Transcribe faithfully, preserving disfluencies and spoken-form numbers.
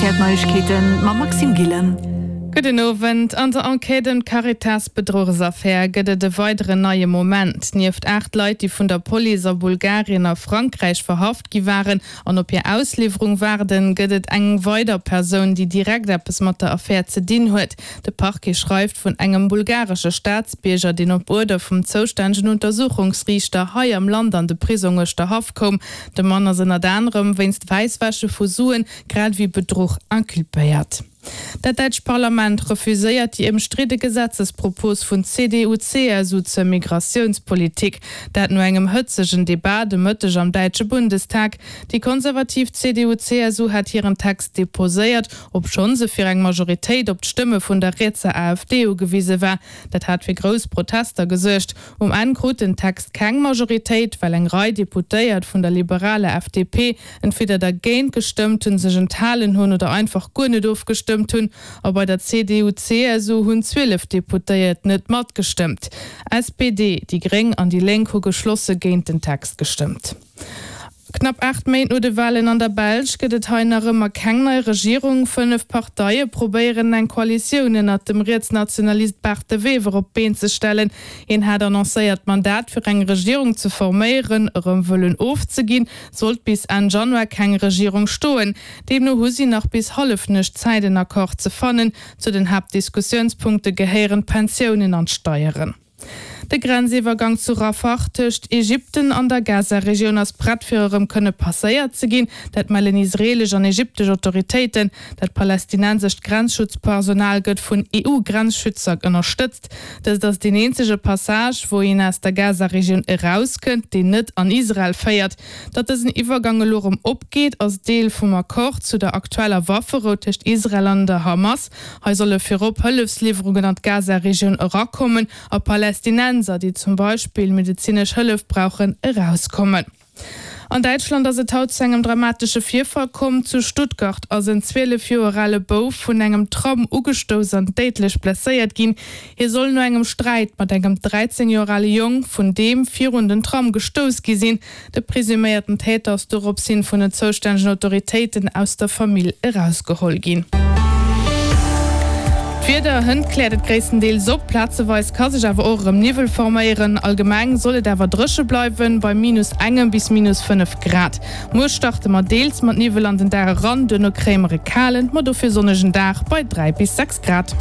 R T L Neiegkeeten mam Maxime Gillen. Gudden Owend. An der Enquête ëm d'Caritas-Bedruchsaffär gëtt et e weideren neie Moment. Nieft aacht Leit, déi vun der Police a Bulgarien a Frankräich verhaft gi waren an op hir Ausliwwerung waarden, gëtt et eng weider Persoun, déi direkt eppes mat der Affär ze dinn huet. De Parquet schreift vun engem bulgaresche Staatsbierger, deen op Uerder vum zoustännegen Untersuchungsriichter hei am Land an de Prisong Uerschterhaff koum. De Mann ass ënnert anerem wéinst Wäisswäsche vu Suen, grad ewéi Bedruch inculpéiert. Dat däitscht Parlament refuséiert déi ëmstridde Gesetzespropos vun C D U C S U zur Migratiounspolitik. Dat no engem hëtzegen Debat de Mëtteg am däitsche Bundestag. Déi konservativ C D U C S U hat hiren Text deposéiert, obschonn se fir eng Majoritéit op d'Stëmme vun der rietser A F D ugewise war. Dat hat fir grouss Protester gesuergt. Um Enn krut den Text keng Majoritéit, well eng Rei Deputéiert vun der liberaler F D P entweder dergéint gestëmmt hunn, sech enthalen hunn oder einfach guer net ofgestëmmt hunn. A bei der C D U C S U hunn zwielef Deputéiert net matgestëmmt. S P D, déi Gréng an déi Lénk hu geschlosse géint den Text gestëmmt. Knapp aacht Méint no de Walen an der Belsch gëtt et hei nach ëmmer keng nei Regierung. Fënnef Parteie probéieren eng Koalitioun ënnert dem Rietsnationalist Bart De Wever op d'Been ze stellen. Hien hat annoncéiert, d'Mandat fir eng Regierung ze forméieren erëm wëllen ofzeginn, sollt bis Enn Januar keng Regierung stoen. Deemno hu si nach bis Hallefnuecht Zäit en Accord ze fannen. Zu den Haaptdiskussiounspunkte gehéieren d'Pensiounen an d'Steieren. De Grenziwwergang zu Rafah tëscht Ägypten an der Gaza-Regioun ass prett fir erëm kënne passéiert ze ginn, dat mellen israeelesch an ägyptesch Autoritéiten. Dat palästinensescht Grenzschutzpersonal gëtt vun E U-Grenzschützer ënnerstëtzt. Dëst ass deen eenzege Passage, wou een aus der Gaza-Regioun erauskënnt, deen net an Israel féiert. Datt dësen Iwwergang elo erëm opgeet, ass Deel vum Accord zu der aktueller Wafferou tëscht Israel an der Hamas. Hei solle virop Hëllefsliwwerungen an d'Gaza-Regioun erakommen a Palästinenser, déi zum Beispill medezinesch Hëllef brauchen, erauskommen. An Däitschland ass et haut zu engem dramatesche Virfall komm. Zu Stuttgart ass en zwielef Joer ale Bouf vun engem Tram ugestouss an déidlech blesséiert ginn. Hie soll no engem Sträit mat engem dräizéng Joer ale Jong vun deem virun den Tram gestouss gi sinn. De presuméierten Täter ass dorops hin vun den zoustännegen Autoritéiten aus der Famill erausgeholl ginn. D'Wieder, Hënt kläert et gréisstendeels op, plazeweis ka sech awer och erëm Niwwel forméieren. Allgemeng soll et awer dréche bleiwen, bei minus engem bis minus fënnef Grad. Muer starte mer deels mat Niwwel an den Dag eran, duerno kréie mer e kalen, ma dofir sonnegen Dag bei dräi bis sechs Grad.